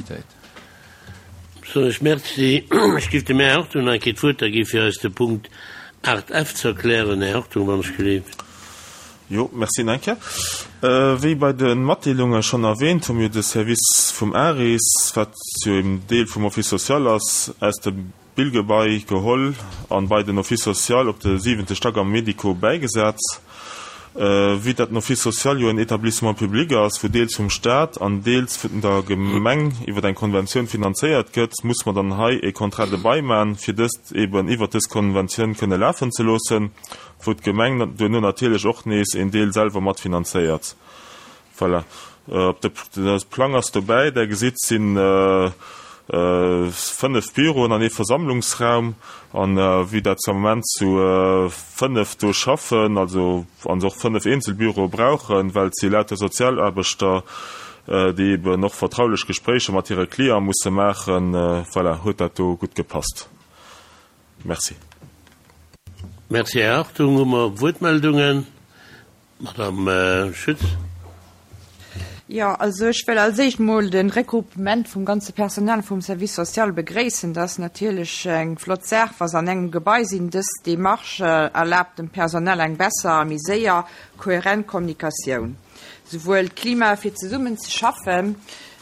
Unanimitéit. Soen ech Merci. Ech géif dem Här Hartung nach eng Kéier d'Wuert da gi fir eis de Punkt 8 F ze erklären. Här Hartung, wann ech gelift. Jo, merci nach eng Kéier. Wéi bei de Matdeelunge schonn erwähnt, hu mir de Service vum ARIS, wat jo eben Deel vum Office social ass, aus dem Billgebai geholl an bei den Office social op de siwente Stack am Medico bäigesat. Vue dat den Office social jo en Etablissement public ass, wou deels vum Staat an deels vun der Gemeng iwwer eng Konventioun finanzéiert gëtt, muss mer dann hei e Contrat de bail man, fir dëst eben iwwert dës Konventioun kënne lafen ze loossen, wou d'Gemeng duerno natierlech och nees een Deel selwer mat finanzéiert. Voilà. Op de Plang ass dobäi, Der gesitt, si 5 Büroen an ee Versammlungsraum. An vue dat se am Moment zu 5 do schaffen, also an se och 5 eenzel Büroe brauchen, well et si lauter Sozialaarbechter, déi eben och vertraulech Gespréicher mat hire Cliente musse maachen, voilà, huet dat do gutt gepasst. Merci. Merci, Här Hartung. Hu mer Wuertmeldungen? Madame Schütz. Jo, also ech wëll als éischt mol de Regroupement vum ganze Personal vum Service social begréissen. Dat ass natierlech eng flott Saach, wa se an engem Gebai sinn. Dës Démarche erlaabt dem Personal eng besser a méi séier, kohärent Kommunikatioun. Souwuel d'Klima fir zesummen ze schaffen,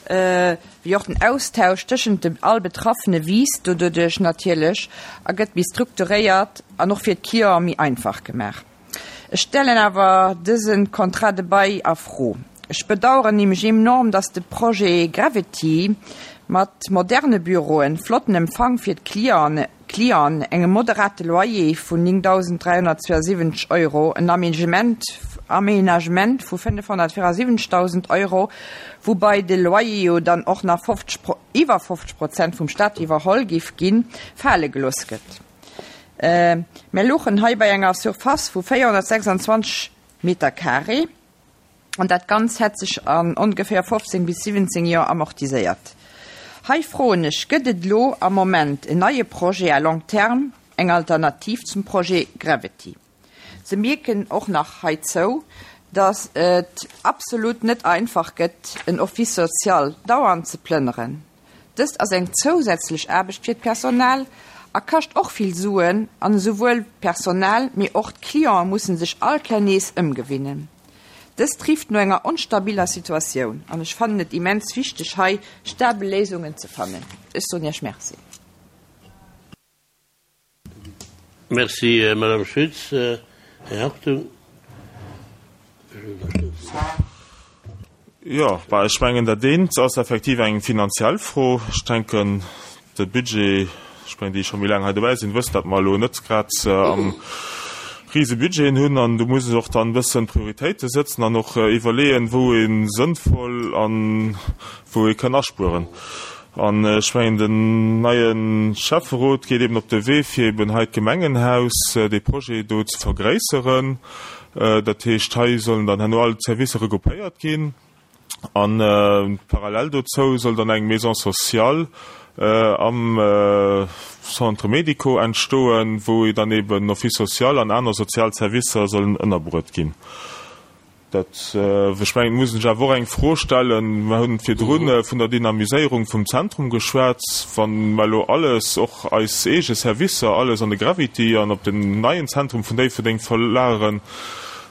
wéi och den Austausch tëschent de all Betraffene wiisst doduerch natierlech a gëtt méi strukturéiert an och fir d'Clienten méi einfach gemaach. Ech stellen awer dëse Contrat de bail a Fro. Ech bedauern nämlech enorm, dass de Projet Gravity mat moderne Büroen, flotten Empfang fir d'Clienten, engem moderate Loyer vun 9.372 Euro, en Aménagement vu 574.000 Euro, woubai de Loyer jo dann och nach 50, iwwer 50 Prozent vum Stat iwwerholl géif ginn, fale gelooss gëtt. Mär louchen hei bei enger Surface vu 426 Meter carré an dat Ganz hätt sech an ongeféier 15 bis 17 Joer amortiséiert. Hei froen ech, Gëtt et elo am Moment en neie Projet à long terme, eng Alternativ zum Projet Gravity? Se mierken och nach heizou, datt et absolut net einfach gëtt, en Office social dauernd ze plënneren. Dëst ass eng zousätzlech Aarbecht fir d'Personal a kascht och vill Suen an esouwuel d'Personal, mee och d'Clienten mussen sech all Kéier nees ëmgewinnen. Dëst rifft no enger onstabiller Situatioun an ech fannen et immens wichteg hei stabel Léisungen ze fannen. Ech soen Iech Merci. Merci, Madame Schütz. Här Hartung. Jo, bah, ech mengen, dat eent ass effektiv eng finanziell Fro. Ech denken, de Budget, ech mengen, déi scho méi laang hei dobäi sinn, wëssen, datt mer elo net grad am rise Budgeten hunn an do muss och dann e bëssen Prioritéite sëtzen an och iwwerleeën, wou ee sënnvoll an wou ee kënn aspueren. An ech mengen, den neie Schäfferot geet eben op de Wee, fir eben hei d'Gemengenhaus, dee Projet do ze vergréisseren. Dat heescht, hei sollen dann herno all d'Servicer regroupéiert ginn. A parallel dozou soll dann eng Maison sociale am Centre médico entstoen, wou dann eben Office social an aner sozial Servicer sollen ënnerbruet ginn. Dat, ech mengen, et muss een sech awer och eng Fro stellen, mer hunn virdru vun der Dynamiséierung vum Zentrum geschwat, wa mer elo alles, och eis eege Servicer, alles an de Gravity an op den neien Zentrum vun Déifferdeng verlageren,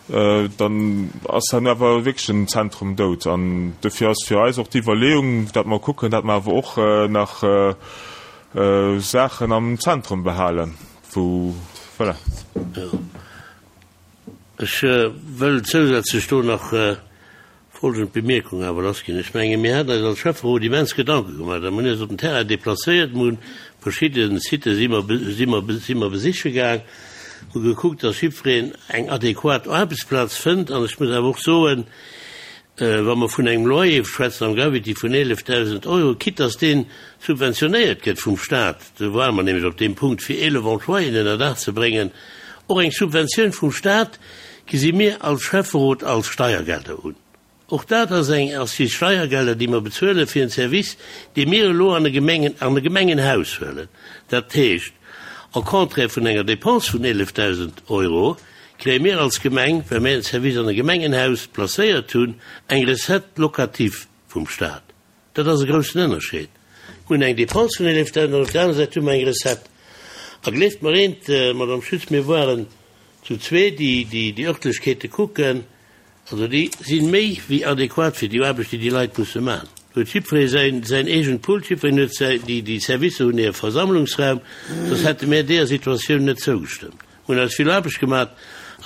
dann ass herno awer wierklech den Zentrum dout. An dofir ass fir eis och d'Iwwerleeung, datt mer kucken, datt mer awer och nach Saachen am Zentrum behalen, wou, voilà. Ech wëll zousätzlech do nach folgend Bemierkung awer lassginn. Ech menge mir haten eis als Schäfferot immens Gedanke gemaach a mir hunn eis op den Terrain deplacéiert, mir hunn verschidde Sitë si mer, si mer, si mer besiche gaang, hu gekuckt, dass jiddwereen eng adequat Aarbechtsplaz fënnt. An ech muss awer och soen, Wa mer vun engem Loyer schwätzen am Gravity vun 11.000 Euro, quitte dass dee subventionéiert gëtt vum Stat, do ware mer nämlech op deem Punkt, fir 11 Employéen ënner Daach ze bréngen, och eng Subventioun vum Stat gesi mir als Schäfferot als Steiergelder un. Och dat ass eng, ass si Steiergelder, déi mer bezuele fir en Service, dee mir elo an e Gemengen, an e Gemengenhaus huelen. Dat heescht, au contraire vun enger Dépense vun 11.000 Euro, kréie mir als Gemeng, well mir en Service an e Gemengenhaus placéiert hunn, eng Recette locative vum Stat. Dat ass e groussen Ënnerscheed. Mir hunn eng Dépense vun 11.000 an op der anerer Säit hu mer eng Recette. A gleeft mer eent, Madame Schütz, mir waren zu zwee, déi déi Örtlechkeete kucken. Also déi si méi wéi adequat fir déi Aarbecht, déi déi Leit musse maachen. Do huet jiddweree säin, säin eegent Pult, jiddwereen huet säi, déi, déi Servicer hunn hire Versammlungsraum, soss hätte mär deeër Situatioun net zougestëmmt. Mir hunn eis vill Aarbecht gemaat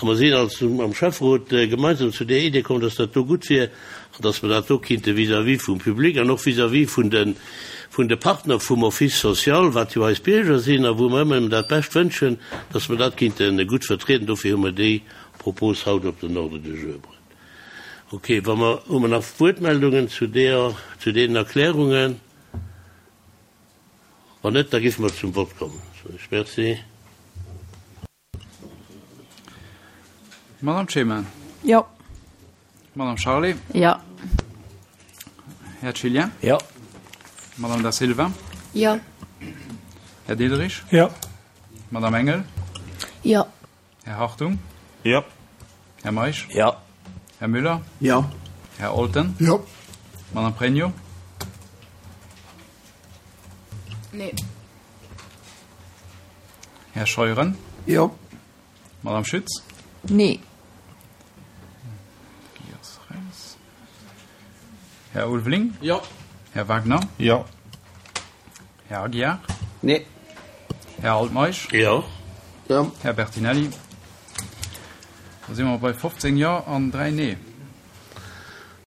a mer sinn als am Schäfferot gemeinsam zu där Idee komm, dass dat do gutt wier an dass mer dat do kinnte vis-à-vis vum Public an och vis-à-vis vun de, vun de Partner vum Office social, wat jo eis Bierger sinn a wou mer ëmmer dat Bescht wënschen, dass mer dat kinnte gutt vertrieden. Dofir hu mer déi Propos haut op den Ordre du jour bruet. Ok, wa mer, hu mer nach Wuertmeldungen zu deer, zu deenen Erklärungen? Wann net, da géife mer zum Vott kommen. Soen ech Merci. Madame Clement. Jo. Madame Charlé. Jo. Här Cillien. Jo. Madame Da Silva. Jo. Här Diderich. Jo. Madame Engel. Jo. Här Hartung. Jo. Här Meisch. Jo. Här Müller. Jo. Här Olten. Jo. Madame Pregno. Nee. Här Scheuren. Jo. Madame Schütz. Nee. Här Ulveling. Jo. Här Wagner. Jo. Här Aguiar. Nee. Här Altmeisch. Jo. Jo. Här Bertinelli. Da si mer bei 15 Jo an 3 Nee.